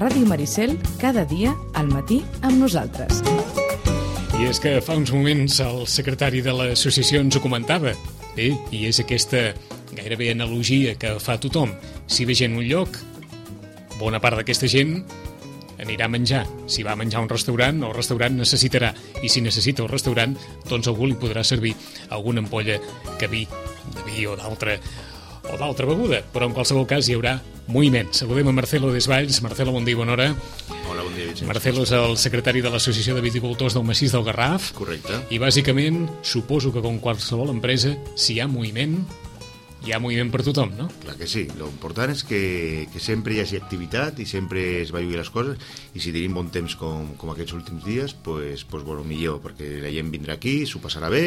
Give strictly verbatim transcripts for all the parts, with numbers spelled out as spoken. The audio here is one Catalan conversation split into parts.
Ràdio Maricel, cada dia al matí amb nosaltres. I és que fa uns moments el secretari de l'associació ens ho comentava. Bé, i és aquesta gairebé analogia que fa tothom. Si ve gent a un lloc, bona part d'aquesta gent anirà a menjar. Si va a menjar a un restaurant, el restaurant necessitarà. I si necessita el restaurant, doncs algú li podrà servir alguna ampolla que vi, de vi o d'altra o d'altra beguda. Però en qualsevol cas hi haurà moviment. Saludem a Marcelo Desvalls. Marcelo, bon dia i bona hora. Hola, bon dia, Vicenç. Marcelo és el secretari de l'Associació de Viticultors del Massís del Garraf. Correcte. I bàsicament, suposo que com qualsevol empresa, si hi ha moviment, hi ha moviment per tothom, no? Clar que sí. Lo important és que, que sempre hi hagi activitat i sempre es vagi les coses, i si tenim bon temps com, com aquests últims dies, pues, pues, bueno, millor, perquè la gent vindrà aquí, s'ho passarà bé,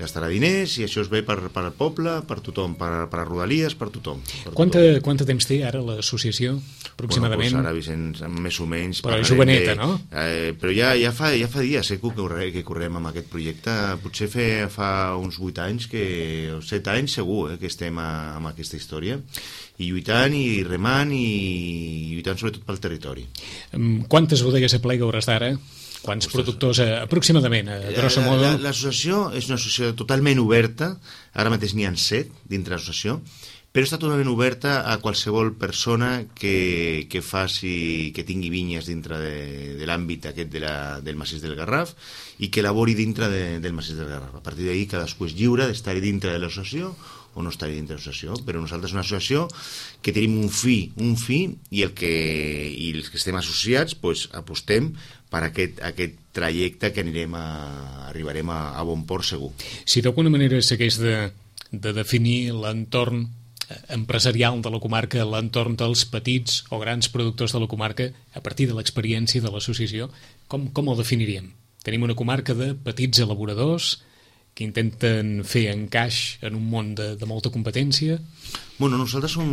gastarà diners, i això es ve per, per al poble, per tothom, per, per a Rodalies, per tothom. Per Quanta, tothom. quanta temps té ara l'associació, aproximadament? Bueno, pues ara, Vicenç, més o menys... Però joveneta, de, no? Eh, però ja, ja, fa, ja fa dies eh, que, corre, que correm amb aquest projecte. Potser fe, fa uns vuit anys, que, o set anys segur, eh, que estem a, amb aquesta història. I lluitant, i remant, i lluitant sobretot pel territori. Quantes bodegues aplega hores d'ara? Quants productors, eh, aproximadament, a grosso modo? L'associació és una associació totalment oberta, ara mateix n'hi ha set dintre l'associació, però està totalment oberta a qualsevol persona que, que faci, que tingui vinyes dintre de, de l'àmbit aquest de la, del Massís del Garraf i que labori dintre de, del Massís del Garraf. A partir d'ahir cadascú és lliure d'estar dintre de l'associació o no estar dintre de l'associació, però nosaltres és una associació que tenim un fi, un fi, i, el que, i els que estem associats pues, apostem per aquest, aquest trajecte que anirem a, arribarem a, a bon port segur. Si d'alguna manera s'hagués de, de definir l'entorn empresarial de la comarca, l'entorn dels petits o grans productors de la comarca, a partir de l'experiència de l'associació, com, com el definiríem? Tenim una comarca de petits elaboradors que intenten fer encaix en un món de, de molta competència? Bueno, nosaltres som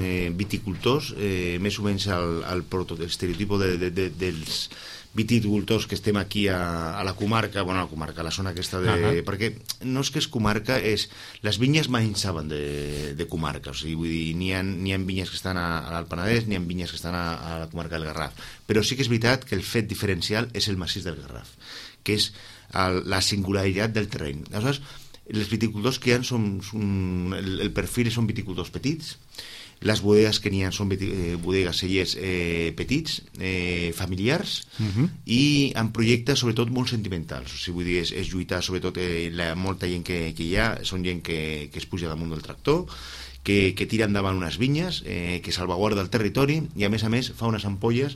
eh, viticultors, eh, més o menys el, el, proto, el estereotipo de, de, de, dels viticultors que estem aquí a, a la comarca, bueno, a la comarca, a la zona aquesta de... Uh-huh. Perquè no és que és comarca, és... Les vinyes mai en saben de, de comarca, o sigui, vull dir, n'hi ha, n'hi ha vinyes que estan a, a l'Alt Penedès, n'hi ha vinyes que estan a, a la comarca del Garraf, però sí que és veritat que el fet diferencial és el massís del Garraf, que és el, la singularitat del terreny. Aleshores, els viticultors que hi ha són, són el, el perfil són viticultors petits, les bodegues que n'hi ha són eh, bodegues, cellers eh, petits, eh, familiars, uh-huh. i amb projectes sobretot molt sentimentals. O sigui, vull dir, és, és lluitar sobretot eh, la, molta gent que, que hi ha, són gent que, que es puja damunt del tractor, que, que tira endavant unes vinyes, eh, que salvaguarda el territori, i a més a més fa unes ampolles,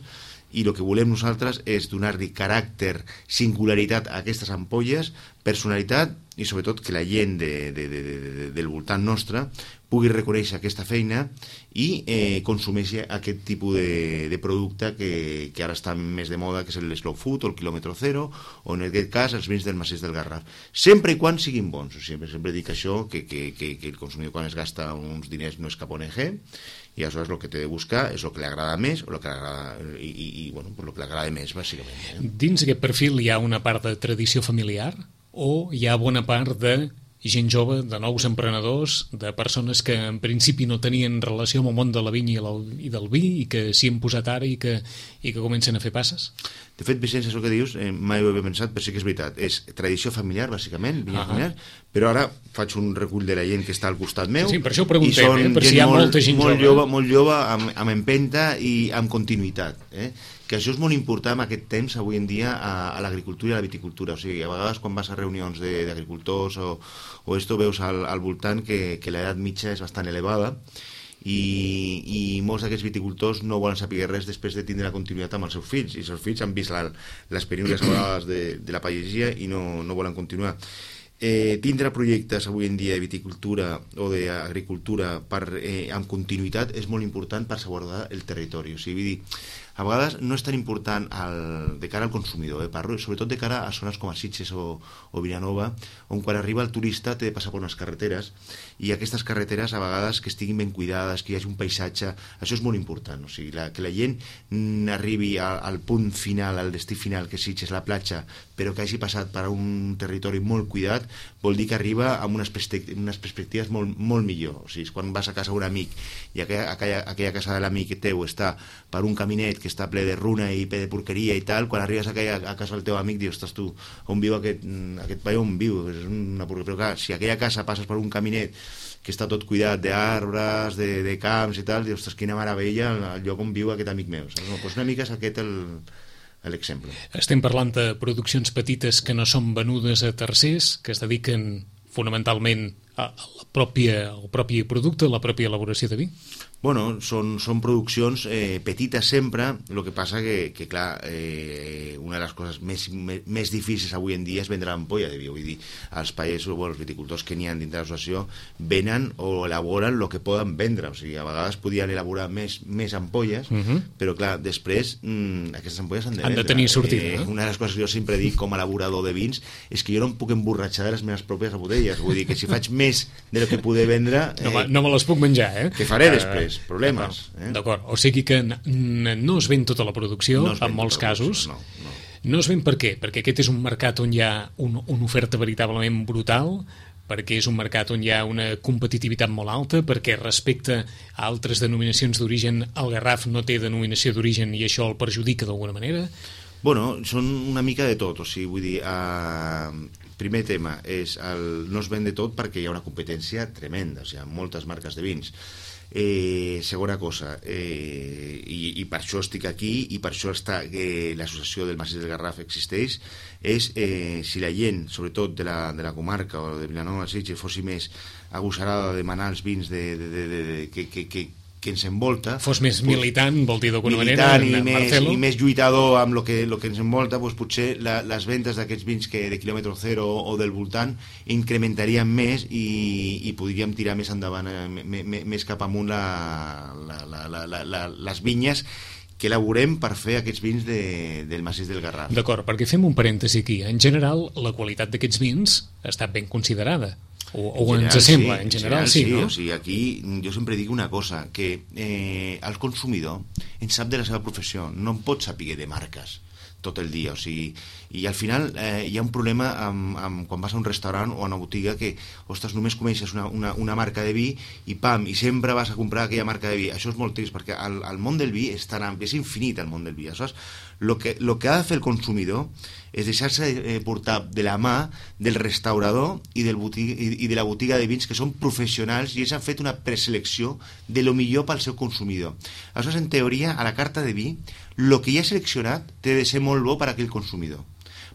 i el que volem nosaltres és donar-li caràcter, singularitat a aquestes ampolles, personalitat, i sobretot que la gent de, de, de, de, del voltant nostre pugui reconèixer aquesta feina i eh, consumeixi aquest tipus de, de producte que, que ara està més de moda, que és el slow food o el quilòmetre zero, o en aquest cas els vins del Massís del Garraf, sempre i quan siguin bons. O sigui, sempre dic això, que, que, que, que el consumidor quan es gasta uns diners no és cap O N G, i aleshores el que té de buscar és el que li agrada més o el que li agrada, i, i, i bueno, pues el que li agrada més, bàsicament. Eh? Dins aquest perfil hi ha una part de tradició familiar o hi ha bona part de gent jove, de nous emprenedors, de persones que en principi no tenien relació amb el món de la vinya i del vi i que s'hi han posat ara i que, i que comencen a fer passes? De fet, Vicenç, això que dius, eh, mai ho havia pensat, però sí que és veritat. És tradició familiar, bàsicament, vinya uh-huh. familiar, però ara faig un recull de la gent que està al costat meu. Sí, per això ho preguntem, eh? Per si hi ha molt, molta gent molt jove. jove. Molt jove, amb, amb empenta i amb continuïtat. Eh? Que això és molt important en aquest temps, avui en dia, a, a l'agricultura i a la viticultura. O sigui, a vegades quan vas a reunions d'agricultors o, o esto, veus al, al voltant que, que l'edat mitja és bastant elevada, i, i molts d'aquests viticultors no volen saber res després de tindre la continuïtat amb els seus fills, i els seus fills han vist la, les penúries vegades de, de la pagesia i no, no volen continuar. Eh, tindre projectes avui en dia de viticultura o d'agricultura per, eh, amb continuïtat és molt important per salvaguardar el territori. O sigui, vull dir, a vegades no és tan important el, de cara al consumidor, eh? Parlo sobretot de cara a zones com a Sitges o, o Vilanova, on quan arriba el turista té de passar per unes carreteres, i aquestes carreteres a vegades que estiguin ben cuidades, que hi hagi un paisatge, això és molt important. O sigui, la, que la gent arribi a, al punt final, al destí final, que és Sitges, la platja, però que hagi passat per un territori molt cuidat, vol dir que arriba amb unes, perspectives, unes perspectives molt, molt millor. O sigui, quan vas a casa d'un amic i aquella, aquella, aquella casa de l'amic teu està per un caminet que que està ple de runa i ple de porqueria i tal, quan arribes a, aquella, a casa del teu amic dius, ostres tu, on viu aquest, aquest paio, on viu? És una porqueria. Però clar, si a aquella casa passes per un caminet que està tot cuidat d'arbres, de, de camps i tal, dius, ostres, quina meravella el lloc on viu aquest amic meu. Saps? No, doncs una mica és aquest el, l'exemple. Estem parlant de produccions petites que no són venudes a tercers, que es dediquen fonamentalment a la pròpia, al propi producte, a la pròpia elaboració de vi? Bueno, són, són produccions eh, petites sempre, el que passa que, que clar, eh, una de les coses més, més, més difícils avui en dia és vendre l'ampolla de vi. Vull dir, els països, bueno, els viticultors que n'hi ha dintre de l'associació venen o elaboren el que poden vendre. O sigui, a vegades podien elaborar més, més ampolles, uh -huh. però clar, després mmm, aquestes ampolles han de, han de tenir sortida. Eh, no? Una de les coses que jo sempre dic com a elaborador de vins és que jo no em puc emborratxar de les meves pròpies botelles. Vull dir que si faig més de lo que poder vendre... Eh, no, no me les puc menjar, eh? Què faré uh, després? Problemes. Eh? D'acord, o sigui que no es ven tota la producció, no en molts casos. No, no. No es ven per què? Perquè aquest és un mercat on hi ha un, una oferta veritablement brutal, perquè és un mercat on hi ha una competitivitat molt alta, perquè respecte a altres denominacions d'origen, el Garraf no té denominació d'origen i això el perjudica d'alguna manera? Bueno, són una mica de tot, o sigui, vull dir, eh, primer tema és el, no es ven de tot perquè hi ha una competència tremenda, o sigui, hi ha moltes marques de vins. Eh, segona cosa, eh, i, i per això estic aquí i per això està eh, l'associació del Massís del Garraf existeix, és eh, si la gent, sobretot de la, de la comarca o de Vilanova Sitges, fossi més agosarada de demanar els vins de, de, de, de, de, que, que, que que ens envolta... Fos més militant, vol dir d'alguna manera, i en més, Marcelo. i més lluitador amb el que, lo que ens envolta, doncs potser la, les ventes d'aquests vins que de quilòmetre zero o, o del voltant incrementarien més i, i podríem tirar més endavant, eh, me, me, més cap amunt la, la, la, la, la, la, les vinyes que elaborem per fer aquests vins de, del Massís del Garraf. D'acord, perquè fem un parèntesi aquí. En general, la qualitat d'aquests vins ha estat ben considerada. O, o general, ens sembla, sí, en general, general sí, sí, no? O sigui, aquí jo sempre dic una cosa, que eh, el consumidor en sap de la seva professió, no en pot saber de marques tot el dia, o sigui, i al final eh, hi ha un problema amb, amb, quan vas a un restaurant o a una botiga que, ostres, només coneixes una, una, una marca de vi i pam, i sempre vas a comprar aquella marca de vi. Això és molt trist, perquè el, el món del vi és tan ampli, és infinit el món del vi. Aleshores, lo que, lo que ha de fer el consumidor és deixar-se eh, portar de la mà del restaurador i, del botiga, i, i de la botiga de vins, que són professionals i ells han fet una preselecció de lo millor pel seu consumidor. Aleshores, en teoria, a la carta de vi, el que ja ha seleccionat té de ser molt bo per a aquell consumidor.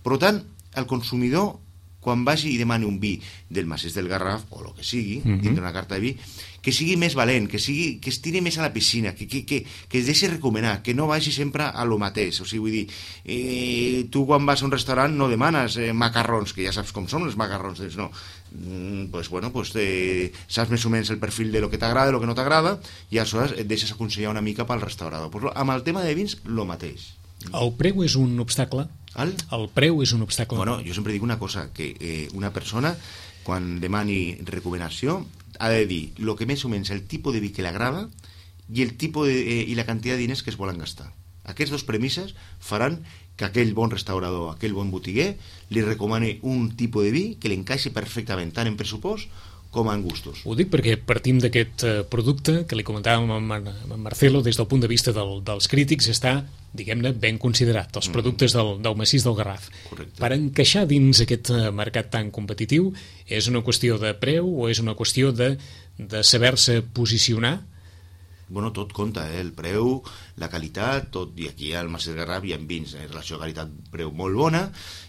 Per tant, el consumidor, quan vagi i demani un vi del Massís del Garraf, o el que sigui, mm-hmm. dintre una carta de vi, que sigui més valent, que, sigui, que es tiri més a la piscina, que, que, que, que es deixi recomanar, que no vagi sempre a lo mateix. O sigui, vull dir, eh, tu quan vas a un restaurant no demanes eh, macarrons, que ja saps com són els macarrons, no. Mm, pues bueno, pues eh, saps més o menys el perfil de lo que t'agrada, de lo que no t'agrada, i aleshores et deixes aconsellar una mica pel restaurador. Pues, amb el tema de vins, lo mateix. El preu és un obstacle? El? El preu és un obstacle? Bueno, jo sempre dic una cosa, que eh, una persona, quan demani recomanació, ha de dir el que més o menys el tipus de vi que l'agrada i el tipus de, eh, i la quantitat de diners que es volen gastar. Aquestes dues premisses faran que aquell bon restaurador, aquell bon botiguer, li recomani un tipus de vi que li encaixi perfectament tant en pressupost com en gustos. Ho dic perquè partim d'aquest eh, producte que li comentàvem amb, amb Marcelo, des del punt de vista del, dels crítics, està, diguem-ne, ben considerat, els productes del, del Massís del Garraf. Correcte. Per encaixar dins aquest mercat tan competitiu, és una qüestió de preu o és una qüestió de, de saber-se posicionar? Bueno, tot compta, eh? El preu, la qualitat, tot, i aquí al Massís del Garraf hi ha vins en relació a qualitat-preu molt bona,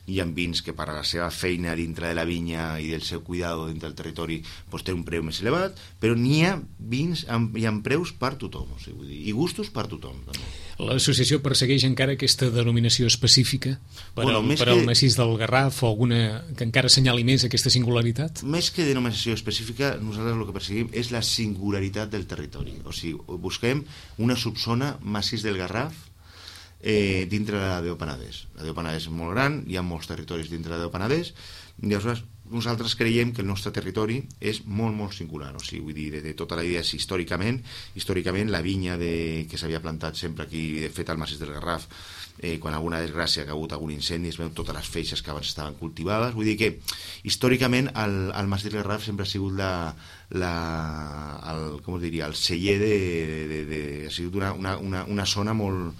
hi ha vins que per a la seva feina dintre de la vinya i del seu cuidado dintre del territori pues, té un preu més elevat, però n'hi ha vins amb, hi ha preus per tothom, o sigui, vull dir, i gustos per tothom. També. L'associació persegueix encara aquesta denominació específica per, bueno, al, per que, al Massís del Garraf o alguna que encara assenyali més aquesta singularitat? Més que denominació específica, nosaltres el que perseguim és la singularitat del territori. O sigui, busquem una subzona Massís del Garraf eh, dintre de la Déu Penedès. La Déu Penedès és molt gran, hi ha molts territoris dintre de la Déu Penedès, i aleshores nosaltres creiem que el nostre territori és molt, molt singular, o sigui, vull dir, de, de tota la idea, històricament, històricament la vinya de, que s'havia plantat sempre aquí, de fet al Massís del Garraf, eh, quan alguna desgràcia, que ha hagut algun incendi, es veuen totes les feixes que abans estaven cultivades, vull dir que històricament el, el Massís del Garraf sempre ha sigut la, la, el, com es diria, el celler de, de, de, de ha sigut una, una, una, una zona molt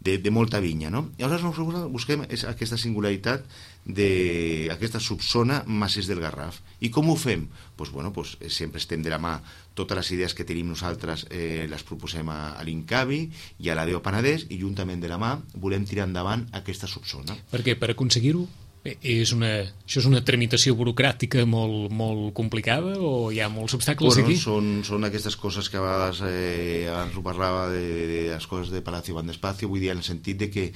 de, de molta vinya, no? I aleshores nosaltres busquem és aquesta singularitat d'aquesta subzona Massís del Garraf. I com ho fem? Pues, bueno, pues, sempre estem de la mà. Totes les idees que tenim nosaltres eh, les proposem a, a l'Incavi i a la D E O Penedès, i juntament de la mà volem tirar endavant aquesta subzona. Perquè per aconseguir-ho és una, això és una tramitació burocràtica molt, molt complicada o hi ha molts obstacles bueno, aquí? Són, són aquestes coses que a vegades eh, abans ho parlava de, de les coses de Palacio van despacio, vull dir en el sentit de que,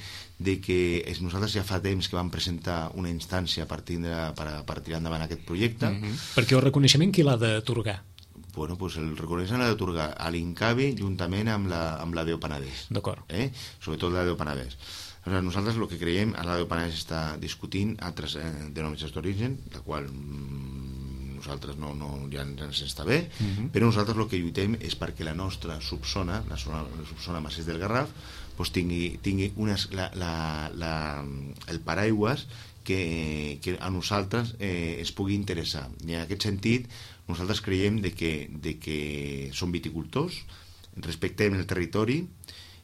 de que és, nosaltres ja fa temps que vam presentar una instància per, tindre, per, per tirar endavant aquest projecte. Mm-hmm. Perquè el reconeixement qui l'ha d'atorgar? Bueno, pues el reconeixement l'ha d'atorgar a l'Incavi juntament amb la, amb la D E O Penedès. D'acord. Eh? Sobretot la D E O Penedès. Nosaltres el que creiem, a la D E O Penedès està discutint altres eh, denominacions d'origen, la qual mm, nosaltres no, no, ja ens està bé, uh-huh. però nosaltres el que lluitem és perquè la nostra subzona, la, zona, la subzona Massís del Garraf, pues tingui, tingui unes, la, la, la, el paraigües que, que a nosaltres eh, es pugui interessar. I en aquest sentit, nosaltres creiem de que, de que som viticultors, respectem el territori,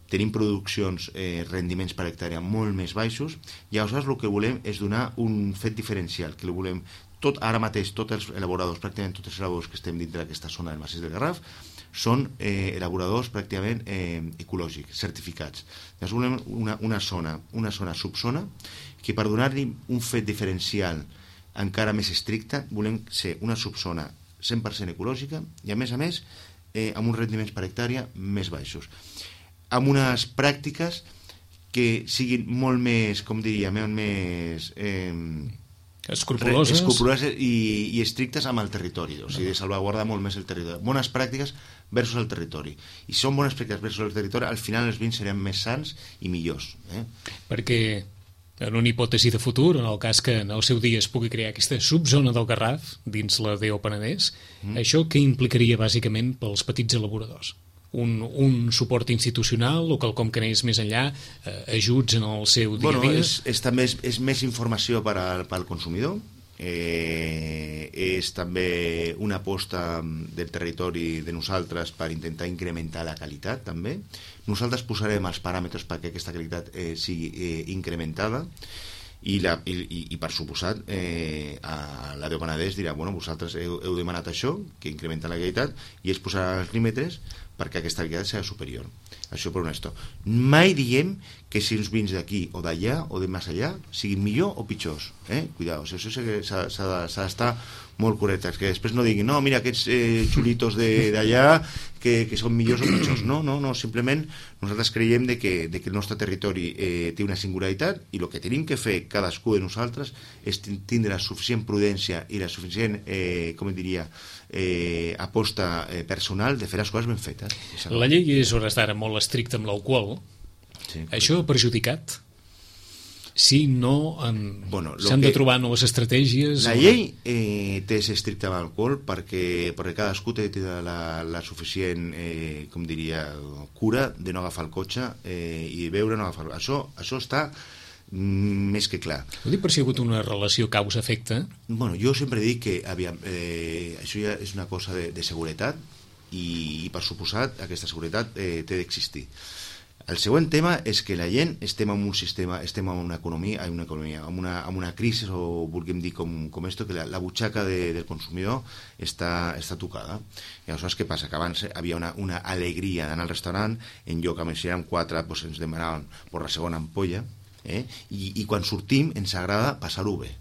tenim produccions, eh, rendiments per hectàrea molt més baixos, i aleshores el que volem és donar un fet diferencial, que volem tot, ara mateix tots els elaboradors, pràcticament tots els elaboradors que estem dintre d'aquesta zona del Massís del Garraf són eh, elaboradors pràcticament eh, ecològics, certificats. Llavors volem una, una zona, una zona subzona, que per donar-li un fet diferencial encara més estricte, volem ser una subzona cent per cent ecològica i a més a més eh, amb uns rendiments per hectàrea més baixos, amb unes pràctiques que siguin molt més, com diria, més eh, escrupuloses, escrupuloses i, i estrictes amb el territori, o sigui, de salvaguardar molt més el territori. Bones pràctiques versus el territori. I si són bones pràctiques versus el territori, al final els vins seran més sants i millors. Eh? Perquè en una hipòtesi de futur, en el cas que en el seu dia es pugui crear aquesta subzona del Garraf dins la D E O Penedès, mm. això què implicaria bàsicament pels petits elaboradors? Un, un suport institucional o quelcom que anés més enllà, eh, ajuts en el seu dia a dia? Bueno, és, és, també és, és més informació per al, per al consumidor, eh, és també una aposta del territori de nosaltres per intentar incrementar la qualitat també. Nosaltres posarem els paràmetres perquè aquesta qualitat eh, sigui eh, incrementada, i, la, i, i per suposat eh, a la D E O Penedès dirà, bueno, vosaltres heu, heu demanat això, que incrementa la qualitat, i es posarà els límites perquè aquesta qualitat sigui superior. Això per un esto. Mai diem que si uns vins d'aquí o d'allà o de més allà siguin millor o pitjors. Eh? Cuidado, això s'ha d'estar molt correctes, que després no diguin no, mira, aquests eh, xulitos d'allà que, que són millors o pitjors. No, no, no, simplement nosaltres creiem de que, de que el nostre territori eh, té una singularitat, i el que tenim que fer cadascú de nosaltres és tindre la suficient prudència i la suficient, eh, com diria, eh, aposta eh, personal de fer les coses ben fetes. La llei és hores d'ara molt estricta amb l'alcohol. Sí, això ha perjudicat? Si no, bueno, s'han de trobar noves estratègies. La llei eh, té ser estricta amb l'alcohol perquè, perquè cadascú té la, la suficient, eh, com diria, cura de no agafar el cotxe eh, i beure, no agafar... Això, això està mm, més que clar. Ho dic per si hi ha hagut una relació causa-efecte? Bueno, jo sempre dic que aviam, eh, això ja és una cosa de, de seguretat i, i per suposat aquesta seguretat eh, té d'existir. El següent tema és que la gent estem en un sistema, estem en una economia, en una economia, en una, en una crisi, o vulguem dir com, com esto, que la, la butxaca de, del consumidor està, està tocada. I aleshores què passa? Que abans havia una, una alegria d'anar al restaurant, en lloc que si érem quatre, doncs ens demanaven per la segona ampolla, eh? I, i quan sortim ens agrada passar-ho bé.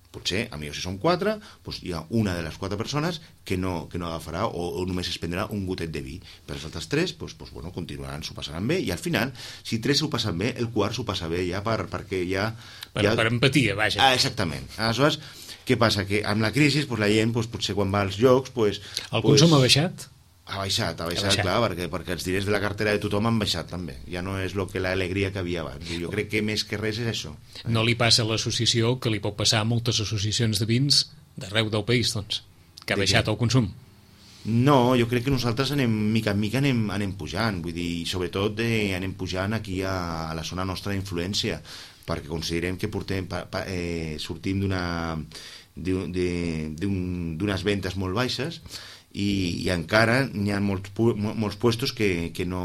Potser, a millor si són quatre, doncs hi ha una de les quatre persones que no, que no agafarà o, o només es prendrà un gotet de vi. Per els altres tres, doncs, doncs, bueno, continuaran, s'ho passaran bé, i al final, si tres s'ho passen bé, el quart s'ho passa bé ja per, perquè ja... Per, ja... per empatia, vaja. Ah, exactament. Aleshores, què passa? Que amb la crisi, doncs, la gent, doncs, potser quan va als llocs... Doncs, el doncs... consum ha baixat? Ha baixat, ha baixat, ha baixat. Clar, perquè, perquè els diners de la cartera de tothom han baixat també. Ja no és lo que l'alegria que havia abans. Jo crec que més que res és això. No li passa a l'associació que li pot passar a moltes associacions de vins d'arreu del país, doncs, que ha baixat el consum? No, jo crec que nosaltres anem, mica en mica anem, anem pujant, vull dir, sobretot eh, anem pujant aquí a, a la zona nostra d'influència, perquè considerem que portem, pa, pa, eh, sortim d'una d'unes ventes molt baixes, i, i encara n'hi ha molts, molts puestos que, que no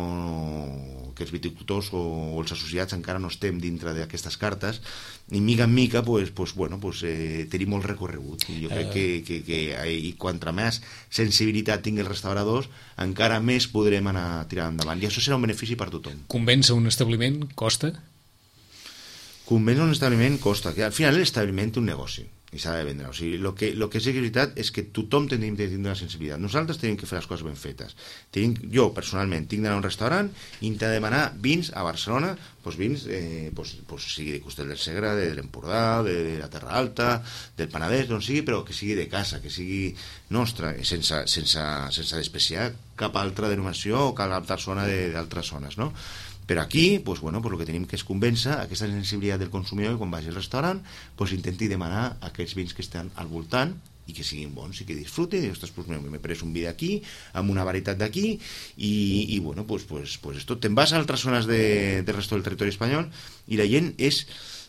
que els viticultors o, o els associats encara no estem dintre d'aquestes cartes, i mica en mica pues, pues, bueno, pues, eh, tenim molt recorregut, i jo crec uh... que, que, que i quantra més sensibilitat tingui els restauradors, encara més podrem anar tirant endavant, i això serà un benefici per tothom. Convèncer un establiment costa? Convèncer un establiment costa, que al final l'establiment té un negoci i s'ha de vendre, o sigui, el que, lo que és veritat és que tothom tenim de tindre la sensibilitat, nosaltres tenim que fer les coses ben fetes. Tenim, jo personalment tinc d'anar a un restaurant i hem de demanar vins a Barcelona, doncs vins eh, doncs, doncs sigui de Costell del Segre, de l'Empordà, de, de la Terra Alta, del Penedès, d'on sigui, però que sigui de casa, que sigui nostra, sense, sense, sense despreciar cap altra denominació o cap altra zona d'altres zones, no? Però aquí, pues, bueno, pues, el que tenim que és convèncer aquesta sensibilitat del consumidor, i quan vagi al restaurant pues, intenti demanar aquests vins que estan al voltant i que siguin bons i que disfruten, i ostres, pues, m'he pres un vi d'aquí amb una varietat d'aquí i, i bueno, pues, pues, pues esto, te'n vas a altres zones de, del resto del territori espanyol i la gent és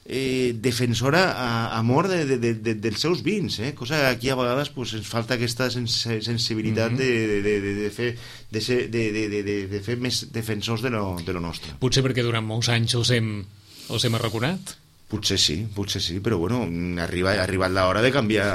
eh, defensora a, a mort de, de, de, de, dels seus vins, eh? Cosa que aquí a vegades pues, ens falta aquesta sens sensibilitat mm -hmm. de, de, de, de fer de, ser, de, de, de, de, de fer més defensors de lo, de lo nostre. Potser perquè durant molts anys els hem, els hem arraconat? Potser sí, potser sí, però bueno, arriba, ha arribat l'hora de canviar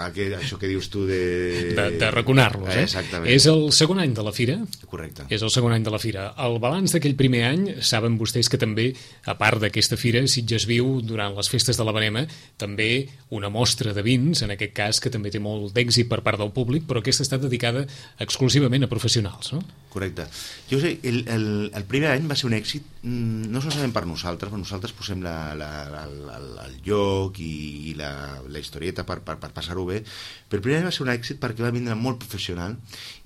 aquest, això que dius tu de... De, de raconar-los, eh? Exactament. És el segon any de la fira? Correcte. És el segon any de la fira. El balanç d'aquell primer any, saben vostès que també, a part d'aquesta fira, Sitges viu durant les festes de la Verema, també una mostra de vins, en aquest cas, que també té molt d'èxit per part del públic, però aquesta està dedicada exclusivament a professionals, no? Correcte. Jo sé, el, el, el primer any va ser un èxit, no solament per nosaltres, per nosaltres posem la... la El, el, el lloc i, i la, la historieta per, per, per passar-ho bé, però el primer any va ser un èxit perquè va vindre molt professional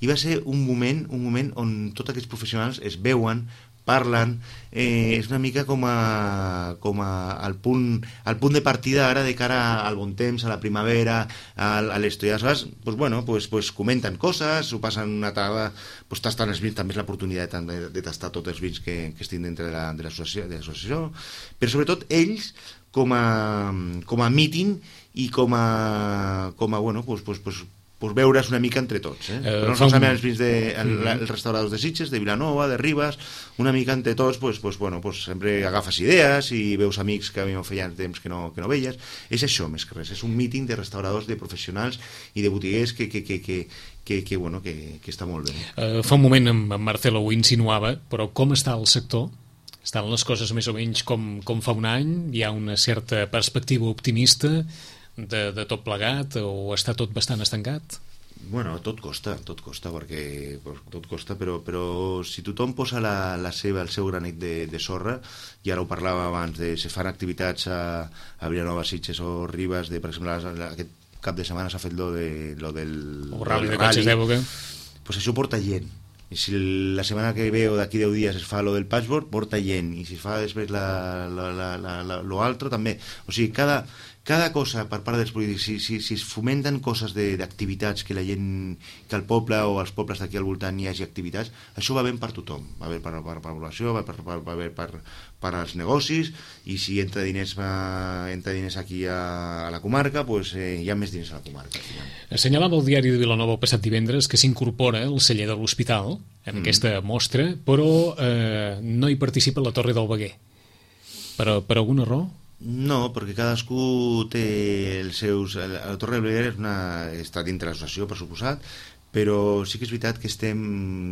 i va ser un moment, un moment on tots aquests professionals es veuen, parlen, eh, és una mica com a, com a el, punt, el punt de partida ara de cara al bon temps, a la primavera, a, a l'estiu. Aleshores, pues, bueno, pues, pues, comenten coses, ho passen una tarda, pues, tastant els vins, també és l'oportunitat de, de tastar tots els vins que, que estic dintre de l'associació, però sobretot ells com a, com a meeting i com a, com a bueno, pues, pues, pues, pues veure's una mica entre tots, eh? Uh, no solament els vins de, el, mm. els restauradors de Sitges, de Vilanova, de Ribes, una mica entre tots, pues, pues, bueno, pues, sempre agafes idees i veus amics que a mi feia temps que no, que no veies. És això, més que res, és un meeting de restauradors, de professionals i de botiguers que, que, que, que, que, que, bueno, que, que està molt bé. Uh, fa un moment en, en Marcelo ho insinuava, però com està el sector? Estan les coses més o menys com, com fa un any? Hi ha una certa perspectiva optimista de, de tot plegat o està tot bastant estancat? Bueno, tot costa, tot costa, perquè tot costa, però, però si tothom posa la, la seva, el seu granet de, de sorra, i ara ho parlava abans, de se fan activitats a, a Vilanova, Sitges o Ribes, de, per exemple, aquest cap de setmana s'ha fet lo, de, lo del... O rally de cotxes d'època. Pues això porta gent. I si la setmana que ve o d'aquí deu dies es fa lo del patchwork, porta gent. I si es fa després la, la, la, la, la, lo altre, també. O sigui, cada... cada cosa per part dels polítics, si, si, si es fomenten coses d'activitats, que la gent, que al poble o als pobles d'aquí al voltant hi hagi activitats, això va bé per tothom, va bé per, per, per la població, va, per, per, va bé per, per als negocis, i si entra diners, va, entra diners aquí a, a la comarca, pues, eh, hi ha més diners a la comarca. Assenyalava el diari de Vilanova el passat divendres que s'incorpora el celler de l'Hospital en mm. aquesta mostra, però eh, no hi participa la Torre del Veguer. Per, per alguna raó? No, perquè cadascú té els seus... La Torre del Veguer és una... està dintre l'associació, per suposat, però sí que és veritat que estem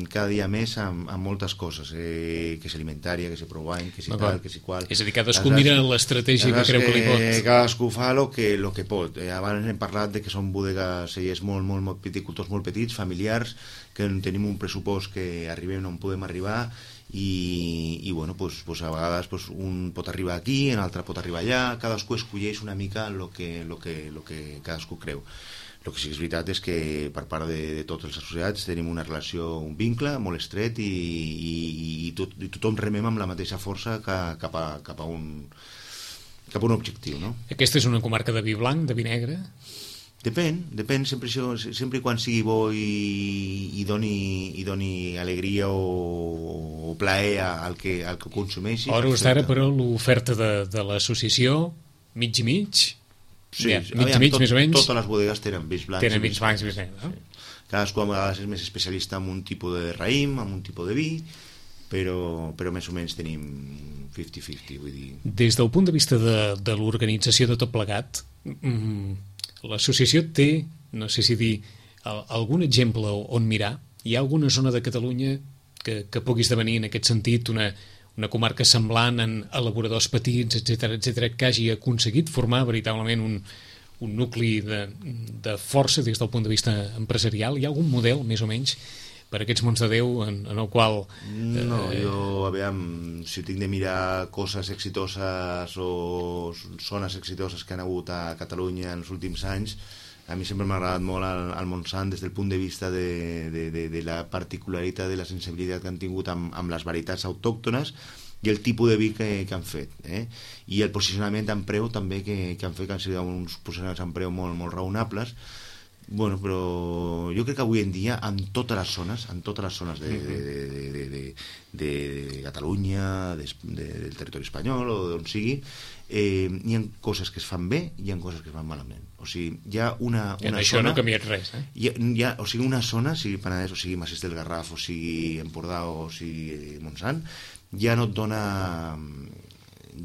cada dia més amb, amb moltes coses, eh, que és alimentària, que és provant, que és tal, que és qual. És a dir, cadascú mira l'estratègia que creu que li pot. Cadascú fa el que, lo que pot. Eh, abans hem parlat de que són bodegues cellers molt, molt, molt viticultors molt petits, familiars, que tenim un pressupost que arribem on podem arribar, i, i bueno, pues, pues a vegades pues, un pot arribar aquí, un altre pot arribar allà, cadascú escolleix una mica el que, lo que, lo que cadascú creu. El que sí que és veritat és que per part de, de tots els associats tenim una relació, un vincle molt estret, i, i, i, tot, i tothom remem amb la mateixa força cap a, cap a, un, cap a un objectiu, no? Aquesta és una comarca de vi blanc, de vi negre? Depèn, depèn, sempre, sempre quan sigui bo i, i, doni, i doni alegria o, o plaer al que, al que consumeixi. A hores d'ara, però, l'oferta de, de l'associació, mig i mig? Sí, ja, mig aviam, i mig, tot, més o menys. Totes les bodegues tenen vins blancs. Tenen vins blancs i vins negres, no? Sí. cadascú a vegades és més especialista en un tipus de raïm, en un tipus de vi, però, però més o menys tenim cinquanta cinquanta, vull dir... Des del punt de vista de, de l'organització de tot plegat, mm, l'associació té, no sé si dir, algun exemple on mirar? Hi ha alguna zona de Catalunya que, que pugui esdevenir en aquest sentit una, una comarca semblant en elaboradors petits, etcètera, etcètera, que hagi aconseguit formar veritablement un, un nucli de, de força des del punt de vista empresarial? Hi ha algun model, més o menys, per aquests mons de Déu en, en el qual... Eh... No, jo, aviam, si tinc de mirar coses exitoses o zones exitoses que han hagut a Catalunya en els últims anys, a mi sempre m'ha agradat molt el, el Montsant des del punt de vista de, de, de, de la particularitat, de la sensibilitat que han tingut amb, amb les varietats autòctones i el tipus de vi que, que han fet, eh? I el posicionament en preu també que, que han fet, que han sigut uns posicionaments en preu molt, molt raonables. Bueno, però jo crec que avui en dia en totes les zones, en totes les zones de, de, de, de, de, de, de Catalunya, de, de, del territori espanyol o d'on sigui, eh, hi ha coses que es fan bé i hi ha coses que es fan malament. O sigui, hi ha una, una en això zona... no ha canviat res, eh? Hi ha, hi ha, o sigui, una zona, sigui Penedès, o sigui Massís del Garraf, o sigui Empordà, o sigui Montsant, ja no et dona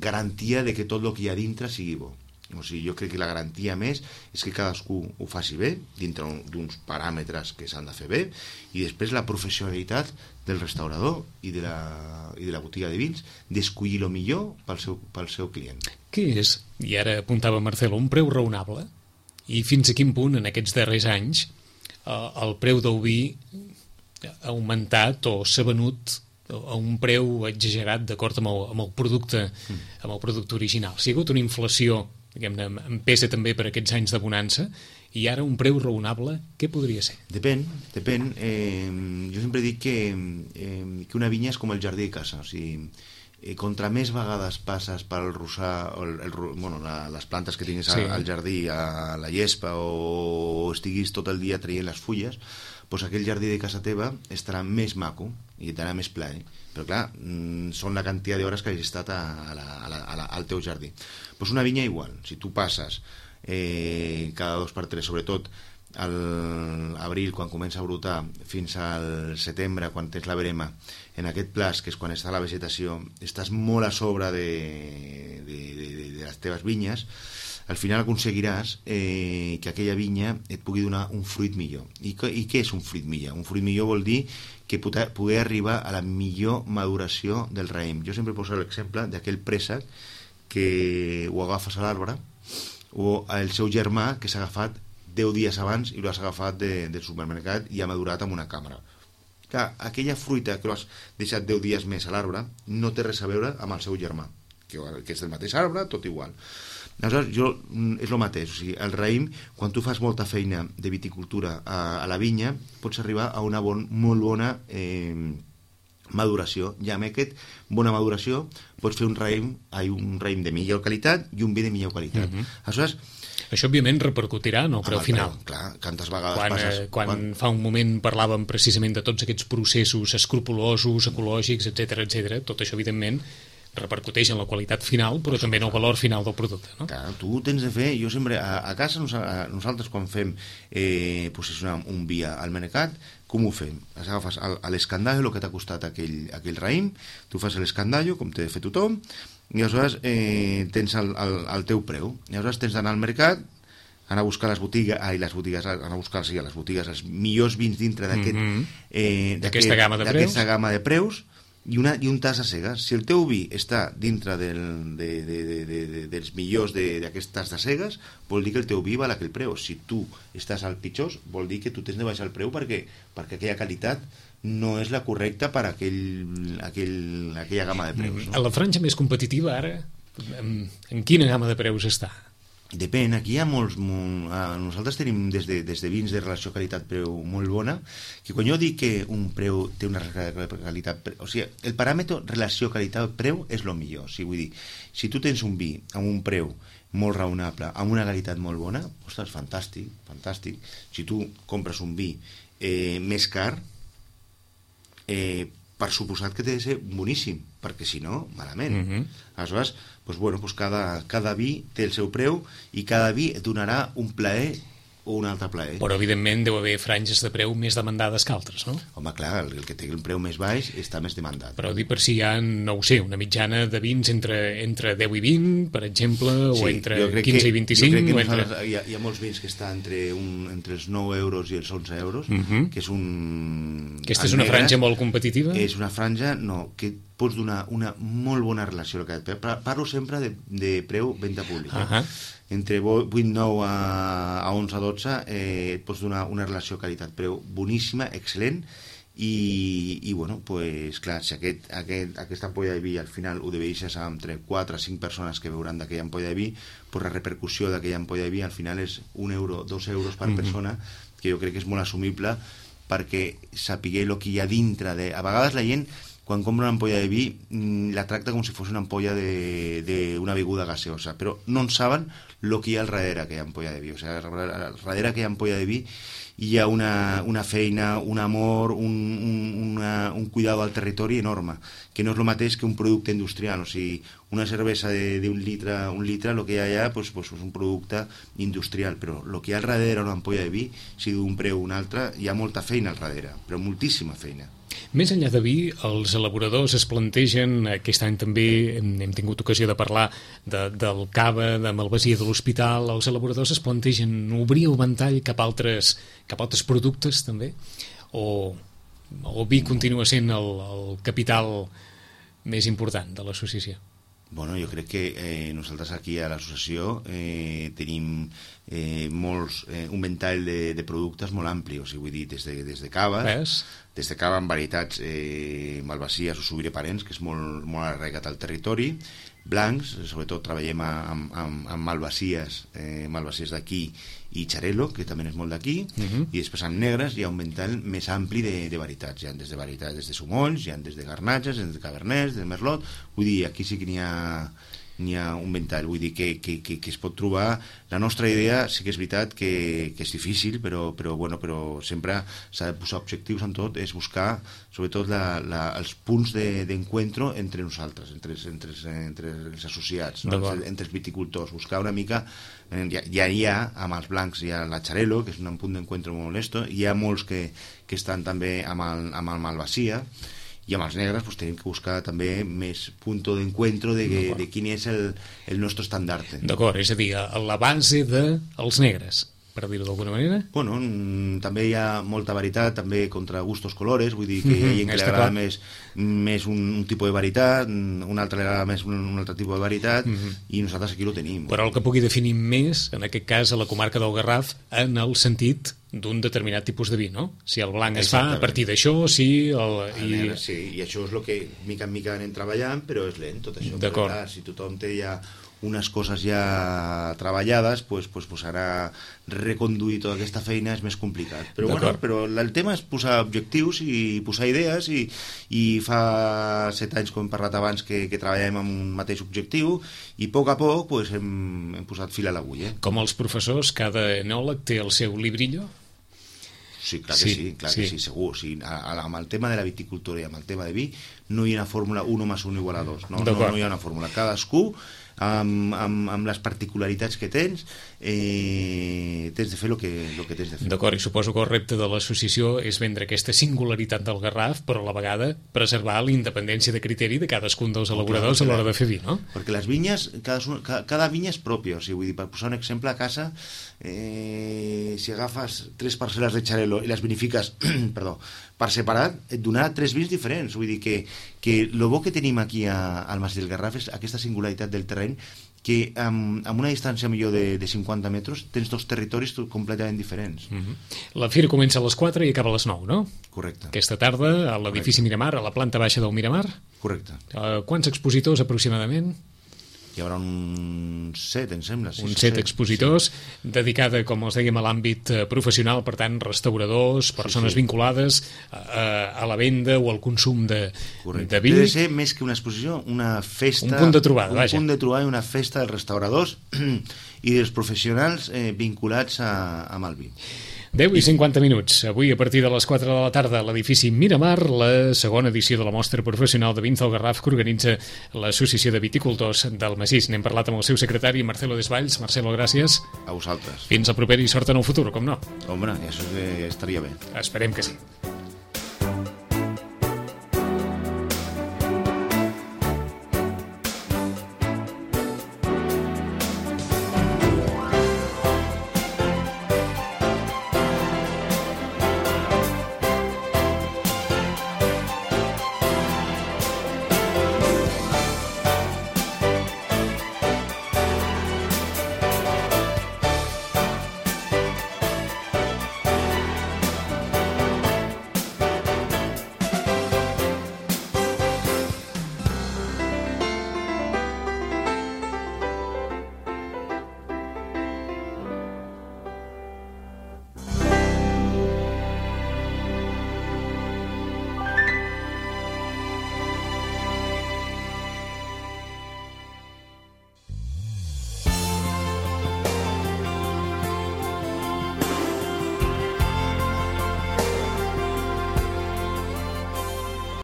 garantia de que tot el que hi ha dintre sigui bo. O sigui, jo crec que la garantia més és que cadascú ho faci bé dintre d'uns paràmetres que s'han de fer bé, i després la professionalitat del restaurador i de la, i de la botiga de vins d'escollir el millor pel seu, pel seu client. Què és, i ara apuntava Marcelo, un preu raonable? I fins a quin punt en aquests darrers anys el preu del vi ha augmentat o s'ha venut a un preu exagerat d'acord amb, el, amb el producte amb el producte original? Si ha hagut una inflació, diguem-ne, empesa també per aquests anys de bonança, i ara un preu raonable, què podria ser? Depèn, depèn. Eh, jo sempre dic que, eh, que una vinya és com el jardí de casa, o sigui, eh, contra més vegades passes pel rossar, el, el, bueno, la, les plantes que tinguis sí. al jardí, a la llespa, o, o estiguis tot el dia traient les fulles, doncs aquell jardí de casa teva estarà més maco i et darà més plaer. Però clar, són la quantitat d'hores que has estat a, a la, a la, a la, al teu jardí. Doncs una vinya igual, si tu passes eh, cada dos per tres, sobretot a l'abril, quan comença a brotar, fins al setembre, quan tens la verema, en aquest plaç, que és quan està la vegetació, estàs molt a sobre de, de, de, de, de les teves vinyes, al final aconseguiràs eh, que aquella vinya et pugui donar un fruit millor. I, I què és un fruit millor? Un fruit millor vol dir que poder, poder arribar a la millor maduració del raïm. Jo sempre poso l'exemple d'aquell préssec que ho agafes a l'arbre, o el seu germà que s'ha agafat deu dies abans i l'has agafat de, del supermercat i ha madurat amb una càmera. Clar, aquella fruita que l'has deixat deu dies més a l'arbre no té res a veure amb el seu germà, que, que és del mateix arbre, tot igual. Aleshores, jo, és el mateix, o sigui, el raïm, quan tu fas molta feina de viticultura a, a la vinya, pots arribar a una bon, molt bona eh, maduració. I amb aquest bona maduració pots fer un raïm, un raïm de millor qualitat i un vi de millor qualitat. Uh-huh. Aleshores, això, òbviament, repercutirà en el preu final. Preu, clar, quantes vegades quan, passes... Eh, quan, quan fa un moment parlàvem precisament de tots aquests processos escrupulosos, ecològics, etcètera, etcètera, tot això, evidentment, repercuteix en la qualitat final, però també en el valor final del producte, no? Clar, tu tens de fer... Jo sempre, a, a casa, nosaltres quan fem eh, posicionar un vi al mercat, com ho fem? Agafes a l'escandallo, el que t'ha costat aquell, aquell raïm, tu fas l'escandallo, com té de fer tothom, i aleshores eh, tens el, el, el teu preu. I aleshores tens d'anar al mercat, anar a buscar les botigues, ai, les botigues, anar a buscar sí, a les botigues els millors vins dintre d'aquest, mm-hmm. eh, d'aquesta gamma de preus, gamma de preus i, una, i un tas a cegues. Si el teu vi està dintre del, de, de, de, de, de, dels millors d'aquest tas de cegues, vol dir que el teu vi val aquell preu. Si tu estàs al pitjor, vol dir que tu tens de baixar el preu perquè, perquè aquella qualitat no és la correcta per a aquell, aquell, aquella gamma de preus. No? A la franja més competitiva, ara, en, en quina gamma de preus està? Depèn, aquí hi ha molts... Molt, eh, nosaltres tenim des de, des de vins de relació qualitat-preu molt bona, que quan jo dic que un preu té una qualitat... O sigui, el paràmetre relació qualitat-preu és el millor. O sigui, vull dir, si tu tens un vi amb un preu molt raonable, amb una qualitat molt bona, ostres, fantàstic, fantàstic. Si tu compres un vi eh, més car, eh, per suposat que té de ser boníssim, perquè si no, malament. Mm-hmm. Aleshores, doncs, bueno, doncs cada, cada vi té el seu preu i cada vi et donarà un plaer un altre plaer. Però, evidentment, deu haver franges de preu més demandades que altres, no? Home, clar, el que té el preu més baix està més demandat. Però dir per si hi ha, no ho sé, una mitjana de vins entre, entre deu i vint, per exemple, sí, o entre quinze que, i vint-i-cinc. Jo crec que o entre... hi, ha, hi ha molts vins que estan entre, un, entre els nou euros i els onze euros, uh -huh. que és un... Aquesta és una negre, franja molt competitiva? És una franja, no, que pots donar una molt bona relació. Parlo sempre de, de preu-venda pública. Uh -huh. Entre vuit nou a onze a dotze eh, et pots donar una relació qualitat-preu boníssima, excel·lent, i, i bueno, pues, clar, si aquest, aquest, aquesta ampolla de vi al final ho deixes entre quatre a cinc persones que veuran d'aquella ampolla de vi, pues la repercussió d'aquella ampolla de vi al final és un euro, dos euros per uh-huh. persona, que jo crec que és molt assumible perquè sapiguer el que hi ha dintre de... A vegades la gent, quan compra una ampolla de vi, la tracta com si fos una ampolla d'una beguda gaseosa, però no en saben el que hi ha al darrere d'aquella ampolla de vi. O sigui, al darrere d'aquella ampolla de vi hi ha una, una feina, un amor, un, un, una, un cuidado al territori enorme, que no és el mateix que un producte industrial. O sigui, una cervesa d'un litre, un litre, el que hi ha allà pues, pues, és un producte industrial, però el que hi ha al darrere d'una ampolla de vi, si d'un preu o un altre, hi ha molta feina al darrere, però moltíssima feina. Més enllà de vi, els elaboradors es plantegen, aquest any també hem, hem tingut ocasió de parlar de, del cava, de Malvasia de l'Hospital, els elaboradors es plantegen obrir el ventall cap a altres, cap a altres productes també? O, o vi continua sent el, el capital més important de l'associació? Bueno, jo crec que eh, nosaltres aquí a l'associació eh, tenim eh, molts, eh, un ventall de, de productes molt ampli, o sigui, vull dir, des de, des de cava, Ves? des de cava amb varietats eh, malvasies o sobireparents, que és molt, molt arraigat al territori, blancs, sobretot treballem amb, amb, amb malvasies, eh, malvasies d'aquí i xarel·lo, que també és molt d'aquí, uh-huh. i després amb negres hi ha un ventall més ampli de, de varietats. Hi ha des de varietats des de sumolls, hi ha des de garnatges, des de cabernets, de merlot, vull dir, aquí sí que n'hi ha n'hi ha un ventall, vull dir que, que, que, que es pot trobar. La nostra idea sí que és veritat que, que és difícil, però, però, bueno, però sempre s'ha de posar objectius en tot, és buscar sobretot la, la, els punts d'encuentro de, entre nosaltres, entre, entre, entre els associats, no? entre, entre els viticultors, buscar una mica, ja, ja hi ha, amb els blancs hi ha la xarel·lo, que és un punt d'encuentro molt honesto, hi ha molts que, que estan també amb el, amb el Malvasia, i amb els negres pues, tenim que buscar també més punt d'encuentro de, de, de quin és el, el nostre estandard. D'acord, és a dir, a la base dels negres, per dir-ho d'alguna manera? Bueno, també hi ha molta varietat, també contra gustos colores, vull dir que hi ha gent que li agrada més, més un, un tipus de varietat, un altre li agrada més un, un altre tipus de varietat, uh-huh. i nosaltres aquí ho tenim. Però el que pugui definir més, en aquest cas, a la comarca del Garraf, en el sentit d'un determinat tipus de vi, no? Si el blanc es fa a partir d'això, sí... El, i... Negre, sí, i això és el que mica en mica anem treballant, però és lent tot això. D'acord. Clar, si tothom té ja unes coses ja treballades, pues, pues, pues ara reconduir tota aquesta feina és més complicat. Però, bueno, però el tema és posar objectius i posar idees, i, i fa set anys, com hem parlat abans, que, que treballem amb un mateix objectiu, i a poc a poc pues, hem, hem posat fil a l'agulla. Com els professors, cada enòleg té el seu librillo? Sí, clar que sí, sí clar sí. que sí, segur. O sigui, amb el tema de la viticultura i amb el tema de vi no hi ha una fórmula un més un igual a dos. No, no, no hi ha una fórmula. Cadascú, amb, amb, amb les particularitats que tens, eh, tens de fer el que, el que tens de fer. D'acord, i suposo que el repte de l'associació és vendre aquesta singularitat del Garraf, però a la vegada preservar la independència de criteri de cadascun dels elaboradors a l'hora de fer vi, no? Perquè les vinyes, cada, cada vinya és pròpia. O sigui, vull dir, per posar un exemple, a casa, eh, si agafes tres parcel·les de xarel·lo i les vinifiques perdó, per separat, et donarà tres vins diferents. Vull dir que, que el bo que tenim aquí a, al Mas del Garraf és aquesta singularitat del terreny, que amb, amb una distància millor de, de cinquanta metres tens dos territoris completament diferents. Mm-hmm. La fira comença a les quatre i acaba a les nou, no? Correcte. Aquesta tarda a l'edifici Miramar, a la planta baixa del Miramar. Correcte. Uh, quants expositors aproximadament? Hi haurà un set, em sembla. Un set, set expositors, sí. Dedicada, com els dèiem, a l'àmbit professional, per tant, restauradors, persones sí, sí. vinculades a, a la venda o al consum de, de vi. Ha de ser més que una exposició, una festa... Un punt de trobada, un vaja. Un punt de trobada i una festa dels restauradors i dels professionals eh, vinculats a, amb el vi. deu i cinquanta minuts. Avui, a partir de les quatre de la tarda, a l'edifici Miramar, la segona edició de la mostra professional de vins del Garraf que organitza l'Associació de Viticultors del Massís. N'hem parlat amb el seu secretari, Marcelo Desvalls. Marcelo, gràcies. A vosaltres. Fins al proper i sort en el futur, com no? Home, això estaria bé. Esperem que sí.